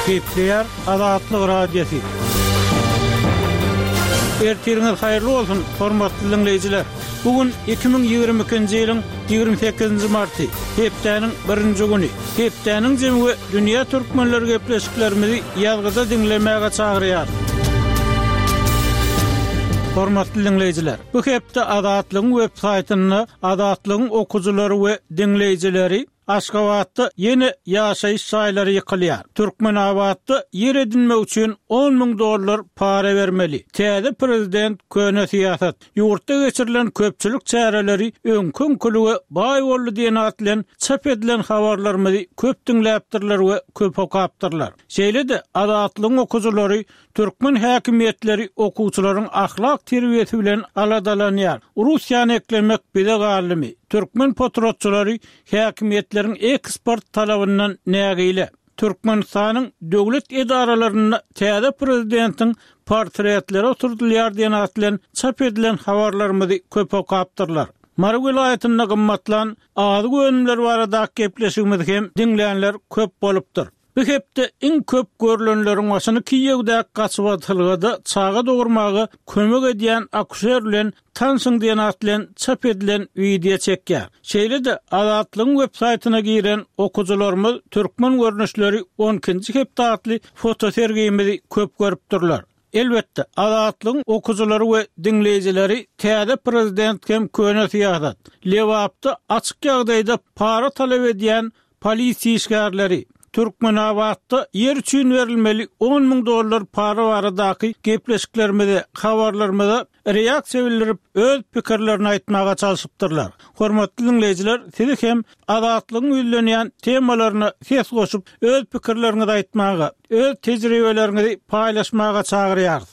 Gepleýär Azatlyk Radiosy. Ertiriňiz haýyrly bolsun, hormatly diňleýjiler! Bu gün 2022-nji ýylyň 28-nji marty, hepdäniň birinji güni. Hepdäniň jemi we dünýä türkmenleri gepleşiklerimizi ýazgyda diňlemäge çagyrýar. Hormatly diňleýjiler, bu hepde Azatlygyň web saýtynda Azatlygyň okyjylary we diňleýjileri Aşgabatda ýene ýaşaýyş jaýlary ýykylýar. Türkmenabatda ýer edinmek üçin 10 müň dollar para bermeli. Täze prezident, köne syýasat. Ýurtda geçirilen köpçülik çäreleri öňki-öňkülige baý boldy diýen at bilen çap edilen habarlarymyzy köp diňläpdirler we köp okapdyrlar. Şeýle-de Azatlygyň okyjylary Türkmen häkimiýetleri okuwçylaryň ahlak terbiýesi bilen aladalanýar. Russiýany eklemek bize galdymy? Türkmen potratçylary häkimiýetleriň eksport talabyndan nägile. Türkmenistanyň döwlet edaralarynda täze prezidentiň portretleri oturdylýar diýen at bilen çap edilen habarlarymyzy köp okapdyrlar. Mary welaýatynda gymmatlan azyk önümleri baradaky gepleşigimizi hem diňlänler köp bolupdyr. Bu hepde iň köp görlenleriň başyny Kiýewdäki gaçybatalgada çaga dogurmaga kömek edýän akuşer bilen tanşyň diýen at bilen çap edilen wideo çekýär. Şeýle-de Azatlygyň web saýtyna giren okyjylarymyz Türkmen görnüşleri on ikinji hepde atly fotosergimizi köp görüpdirler. Elbetde, Azatlygyň okyjylary we diňleýjileri täze prezident hem köne syýasat, Lebapda açyk ýagdaýda para talap edýän polisiýa işgärleri, Türkmenabatda ýer üçin berilmeli 10 müň dollar para baradaky gepleşiklerimize, habarlarymyza reaksiýa bildirip, öz pikirlerini aýtmaga çalşypdyrlar. Hormatly diňleýjiler, sizi hem Azatlygyň ýüzlenýän temalaryna ses goşup, öz pikirleriňizi aýtmaga, öz tejribeleriňizi paýlaşmaga çagyrýarys.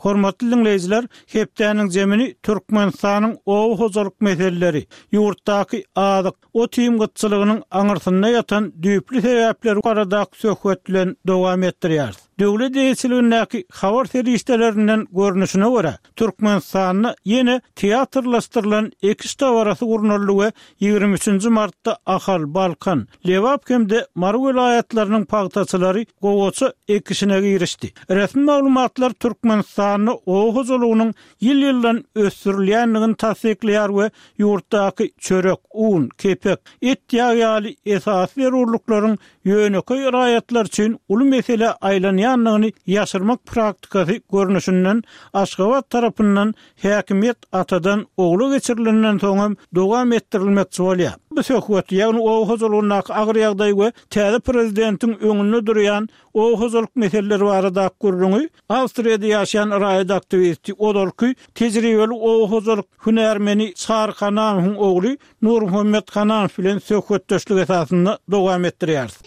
Hormatly diňleýjiler, hepdäniň jemini Türkmenistanyň oba hojalyk meseleleri, ýurtdaky azyk, ot-iým gytçylygynyň aňyrsynda ýatan düýpli sebäpler baradaky söhbet bilen dowam etdirýäris. Döwlet eýeçiligindäki habar serişdelerinden görnüşine görä, Türkmenistanda ýene teatrlaşdyrylan ekiş dabarasy gurnaldy we 23 nji martda Ahal, Balkan, Lebap hem-de Mary welaýatlarynyň pagtaçylary gowaça ekişine girişdi. Resmi maglumatlar Türkmenistanda oba hojalygynyň ýyl-ýyldan ösdürilýändigini tassyklaýar we ýurtdaky çörek, un, kepek, et-ýag ýaly esasy zerurlyklaryň ýönekeý raýatlar üçin uly meselä aýlanýandygyny ýaşyrmak praktikasy görnüşinden Aşgabat tarapyndan häkimiýet atadan ogla geçirilenden soňam dowam etdirilmekçi bolýar. Bu söhbet, ýagny oba hojalygyndaky agyr ýagdaý we täze prezidentiň öňünde durýan oba hojalyk meseleleri baradaky gürrüňi Awstriýada ýaşaýan raýat aktiwisti, ozalky tejribeli oba hojalyk hünärmeni Çary Hanamowyň ogly Nurmuhammet Hanamow bilen söhbetdeşlik esasynda dowam etdirýäris.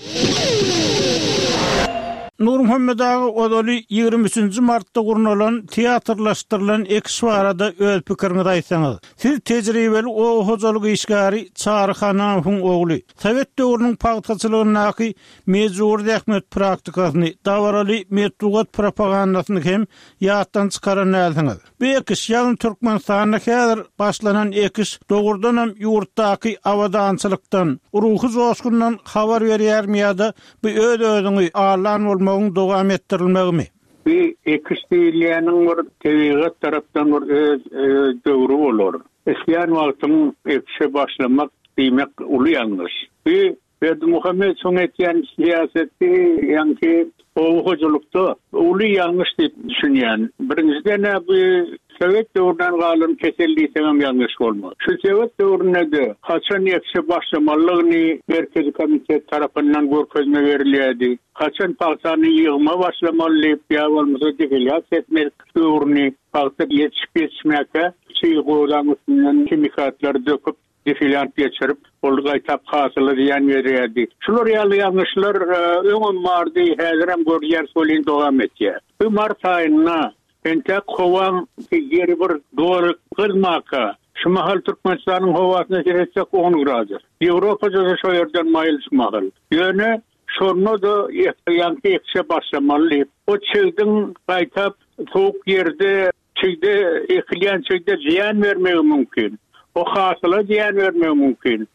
Nurmuhammet aga ozaly 23 nji martda gurnalan teatrlaşdyrylan ekiş barada öz pikiriňizi aýtsaňyz. Siz tejribeli oba hojalyk işgäri Çary Hanamowyň ogly. Sowet döwrüniň pagtaçylygyndaky mejbury zähmet praktikasyny, dabaraly metbugat propagandasyny hem ýatdan çykaran dälsiňiz. Bu ekiş, ýagny Türkmenistanda häzir başlanan ekiş dogrudanam ýurtdaky abadançylykdan, ruhy joşgundan habar berýärmi ýa-da bu öz-özüňi aldan bolmagyň dowam etdirilmegimi? Bu ekiş diýilýäniň bir tebigat tarapdan bir öz döwri bolar. Islän wagtyň ekişe başlamak diýmek uly ýalňyş. Bu Berdimuhamedowyň etýän syýasaty ýaňky oba hojalykda uly ýalňyş diýip düşünýän. Birinjiden-ä bu sowet döwründen galan kesel diýseňem ýalňyş bolmaz. Şu sowet döwründe-de haçan ekişe başlamalydygyny Merkezi komitet tarapyndan görkezme berilýärdi. Haçan pagtany ýygyma başlamaly diýip ýa bolmasa defelýasiýa etmek döwrüni pagta ýetişip-ýetişmäkä çig gozaň üstünden himikatlary döküp defilýant geçirip, ol gaýtap hasyla zyýan berýärdi. Şular ýaly ýalňyşlar öňem bardy, häzirem görülýär, welin dowam etýär. Bu mart aýynda entek howaň ýeri bir doly gyzmaka, şu mahal Türkmenistanyň howasyna seretsek on gradus. Ýewropada-da şo ýerden maýyl şu mahal. Ýöne şonda-da ýaňky ekişe başlamaly diýip, o çigdiň gaýtap sowuk ýerde Çigde ekilýän çigde zyýan bermegi mümkin. O hasyla zyýan bermegi mümkin.